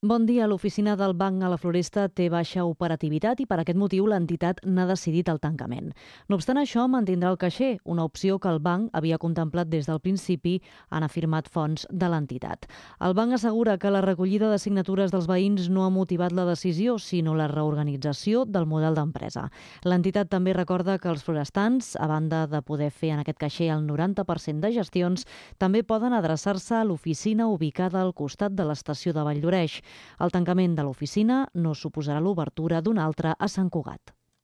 Bon dia. L'oficina del Banc a la Floresta té baixa operativitat i per aquest motiu l'entitat n'ha decidit el tancament. No obstant això, mantindrà el caixer, una opció que el banc havia contemplat des del principi, han afirmat fonts de l'entitat. El banc assegura que la recollida de signatures dels veïns no ha motivat la decisió, sinó la reorganització del model d'empresa. L'entitat també recorda que els florestans, a banda de poder fer en aquest caixer el 90% de gestions, també poden adreçar-se a l'oficina ubicada al costat de l'estació de Valldoreix. El tancament de l'oficina no suposarà l'obertura d'una altra a Sant Cugat.